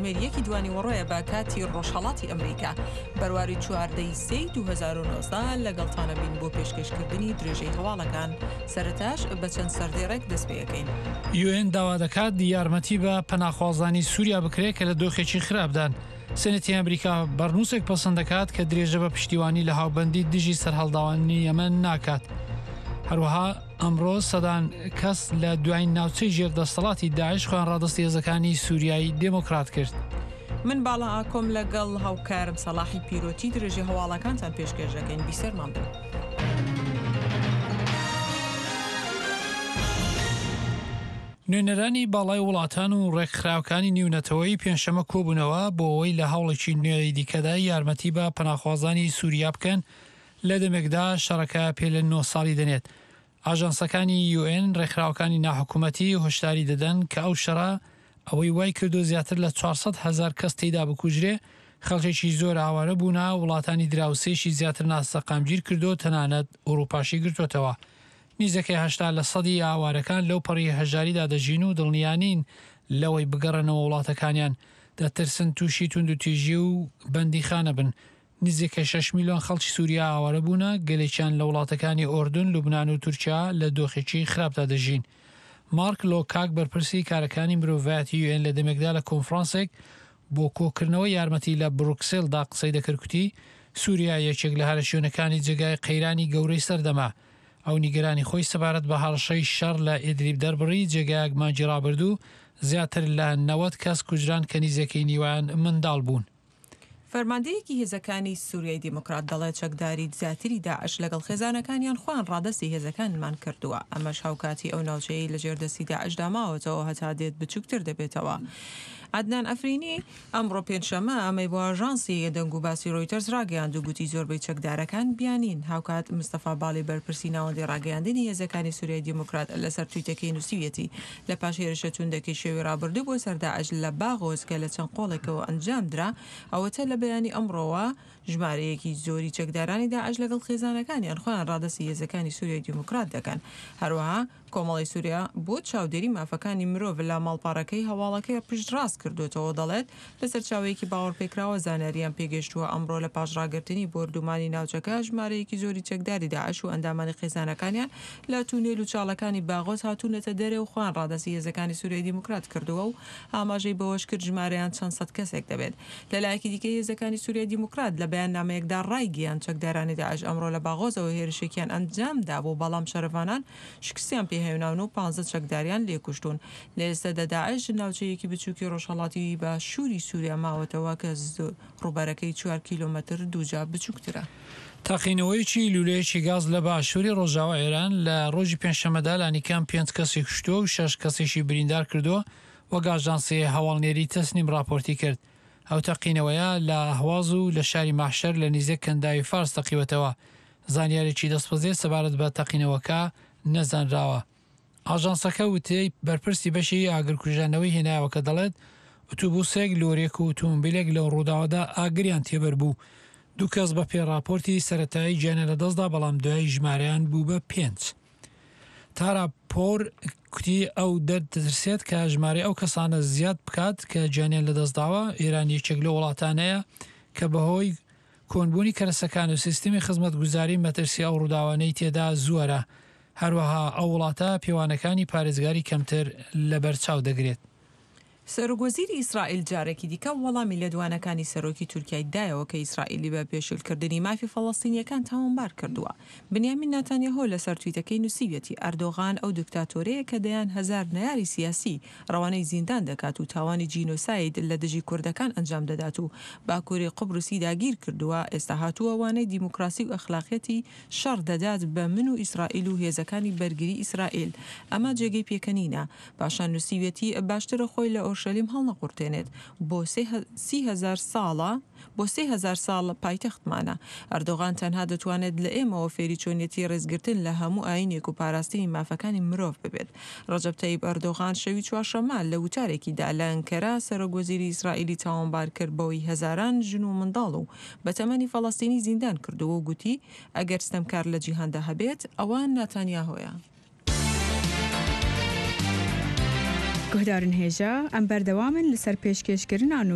کاتژمێر یەکی دوانیوەڕۆیە بە کاتی ڕۆژهەڵاتی ئەمریکا، بەرواری 14 ی سێی 2019 لەگەڵتانە بین بۆ پێشکەشکردنی درێژەی هەواڵەکان، سەرەتاش بە چەند سەردێڕێک دەست پێ ئەکەین. یوئێن داوا دەکات یارمەتی بە پەناخوازانی سووریا بکرێت کە لە دۆخێکی خراپدان. سێنەتی ئەمریکا بەرنووسێک پەسەند دەکات کە درێژە بە پشتیوانی لە هاوبەندی دژی سەرهەڵداوانی یەمەن ناکات. هەروەها ئەمڕۆ سەدان کەس لە دوایین ناوچەی ژێر دەستەڵاتی داعش خۆیان ڕادەستی هێزەکانی سووریای دێمۆکرات کرد. من باڵا ئاکۆم لەگەڵ هاوکارم سەڵاحی پیرۆتی درێژەی هەواڵەکانتان پێشکێش دەکەین، بیسەرمان بن. نوێنەرانی باڵای وڵاتان و ڕێکخراوکانی نیونەتەوەیی پێنجشەممە کۆبوونەوە بۆ ئەوەی لە هەوڵێکی نوێی دیکەدا یارمەتی بە پەناخوازانی سووریا بکەن لە دەمێکدا شەڕەکە پێ لە نۆ ساڵی دەنێت. ئاژانسەکانی یوئێن، ڕێکخراوەکانی ناحکومەتی هۆشداری دەدەن کە ئەو شەڕە ئەوەی وای کردووە زیاتر لە 400 هەزار کەس تێیدا بکوژرێ، خەڵکێکی زۆر ئاوارە بوونە، وڵاتانی دراوسێیشی زیاتر ناسەقامگیر کردووە، تەنانەت ئوڕووپاشی گرتووەتەوە. نیزەکەی 80 لە سەدی ئاوارەکان لەو پەڕی هەژاریدا دەژین و دڵنیا نین لەوەی بگەڕێنەوە وڵاتەکانیان، دەترسن تووشی توندوتیژی و بەندیخانە بن. نزیکەی شەش میلیۆن خەڵکی سووریا ئاوارە بوونە، گەلێکیان لە وڵاتەکانی ئۆردن، لوبنان و تورکیا لە دۆخێکی خراپدا دەژین. مارک لۆکاک بەرپرسی کارەکانی مرۆڤایەتی یوئێن لە دەمێکدا لە کۆنفرانسێک بۆ کۆکردنەوەی یارمەتی لە بروکسێلدا قسەی دەکرد کوتی، سووریا یەکێک لە هەرە شوێنەکانی جێگای قەیرانی گەورەی سەردەمە. ئەو نیگەرانی خۆی سەبارەت بە هەڕەشەی شەڕ لە ئیدلیب دەربڕی، جێگایەک مانگی ڕابردوو زیاتر لە 90 کەس کوژران کە نیزەکەی نیوەیان منداڵ بوون. فەرماندەیەکی هێزەکانی سوریای دیموکرات دەڵێت چەکداری زیاتری داعش لەگەڵ خێزانەکانیان خۆیان ڕادەستی هێزەکانمان کردووە، ئەمەش هاوکاتی ئەو ناوچەیەی لەژێر دەستی داعشدا ماوەتەوە هەتا دێت بچوکتر دەبێتەوە. عەدنان عەفرینی ئەمڕۆ پێنجشەممە ئەمەی بۆ ئاژانسی دەنگوباسی رۆیتەرز راگەیاند و گوتی زۆربەی چەکدارەکان بیانین. هاوکات مستەفا باڵی بەرپرسی ناوەندی راگەیاندنی هێزەکانی سوریای دیموکرات لەسەر تویتەکەی نووسیویەتی لە پاش هێرشە توندەکەی شەوی ڕابردوو بۆ سەر داعش لە باغۆز کە لە چەند قۆڵێکەوە ئەنجام درا، ئەوەتە لە بەیانی ئەمڕۆوە ژمارەیەکی زۆری چەکدارانی داعش لەگەڵ خێزانەکانیان خۆیان ڕادەستی هێزەکانی سوریای دیموکرات دەکەن. هەروەها کۆمەڵەی سوریا بۆ چاودێری مافەکانی مرۆڤ لە ماڵپەڕەکەی هەواڵەکەی پشتڕاست کردۆتەوە دەڵێت، لە سەرچاوەیەکی باوەڕپێکراوە زانیاریان پێگەیشتووە ئەمڕۆ لە پاش ڕاگرتنی بۆردومانی ناوچەکە ژمارەیەکی زۆری چەکداری داعش و ئەندامانی خێزانەکانیان لە تونێل و چاڵەکانی باغۆز هاتوونەتە دەرێ و خۆیان ڕادەستی هێزەکانی سوریای دیموکرات کردووە و ئاماژەی بەوەشکرد ژمارەیان چەند سەد کەسێک دەبێت. لەلایەکی دیکە هێزەکانی سوریای دیموکرات لە بەیاننامەیەکدا ڕایگەیاند چەکدارانی داعش ئەمڕۆ لە باغۆزەوە هێرشێکیان ئەنجامدابوو بەڵام شەرڤانان شکستیان پێهێناون و پانزە چەکداریان لێکوشتوون. لە ئێستادا داعش ناوچەیەکی بچووکی ڕۆژهەڵاتی باشووری سووریا ماوەتەوە کە ڕووبەرەکەی چوار کیلۆمەتر دووجا بچووکترە. تەقینەوەیەکی لوولەیەکی گاز لە باشووری ڕۆژاوای ئێران لە ڕۆژی پێنجشەممەدا لانیکەم پێنج کەسی کوشتووە و شەش کەسیشی بریندار کردووە، وەک ئاژانسی هەواڵنێری تەسنیم ڕاپۆرتی کرد. ئەو تەقینەوەیە لە ئەهواز و لە شاری مەحشەر لە نیزیک کەنداوی فارس تەقیوەتەوە. زانیاریی دەستبەجێ سەبارەت بە تەقینەوەکە نەزانراوە. ئاژانسەکە وتەی بەرپرسی بەشی ئاگرکوژاندنەوەی هێنایەوە کە دەڵێت، ئوتوبوسێک، لۆریەک و ئوتومبیلێک لەو ڕووداوەدا ئاگریان تێبەربوو. دوو کەس بەپێی ڕاپۆرتی سەرەتایی گیانیان لەدەستدا، بەڵام دوایی ژمارەیان بوو بە پێنج. تارا پۆر کوتی ئەو دەترسێت کە ژمارەی ئەو کەسانە زیاد بکات کە گیانیان لەدەستداوە، ئێران یەکێک لەو وڵاتانەیە کە بەهۆی کۆنبوونی کەرەسەکان و سیستمی خزمەتگوزاری مەترسی ئەو ڕووداوانەی تێدا زۆرە، هەروەها ئەو وڵاتە پێوانەکانی پارێزگاری کەمتر لەبەرچاو دەگرێت. سەرۆکوەزیری ئیسرائیل جارێکی دیکە وەڵامی لێدوانەکانی سەرۆکی تورکیای دایەوە کە ئیسرائیلی بە پێشێلکردنی مافی فەڵەستینییەکان تاوانبار کردووە. بنیامین ناتانیاهۆ لەسەر تویتەکەی نووسیویەتی، ئەردۆغان ئەو دکتاتۆرەیە کە دەیان هەزار نەیاری سیاسی ڕەوانەی زیندان دەکات و تاوانی جینۆساید لە دژی کوردەکان ئەنجام دەدات و باکووری قوبرسی داگیر کردووە، ئێستا هاتووە وانەی دیموکراسی و ئەخلاقیەتی شەڕ دەدات بە من و ئیسرائیل و هێزەکانی بەرگری ئیسرائیل. ئەمە جێگەی پێکەنینە. پاشان نووسیویەتی، باشترە خۆی لە ئۆرشەلیم هەڵنەقورتێنێت. بۆ 30,000 ساڵە بۆ 3000 ساڵ پایتەختمانە. ئەردۆغان تەنها دەتوانێت لە ئێمەوە فێری چۆنیەتی ڕێزگرتن لە هەموو ئایینێک و پاراستنی مافەکانی مرۆڤ ببێت. ڕەجەب تەیب ئەردۆغان شەوی چوارشەممە لە وتارێکیدا لە ئەنکەرە سەرۆک وەزیری ئیسرائیلی تاوانبار کرد بەوەی هەزاران ژن و منداڵ و بەتەمەنی فەڵەستینی زیندان کردووە و گوتی ئەگەر ستەمکار لە جیهاندا هەبێت ئەوە ناتانیاهۆیە. Guhdarên hêja, em berdewam in li ser pêşkêşkirina nû.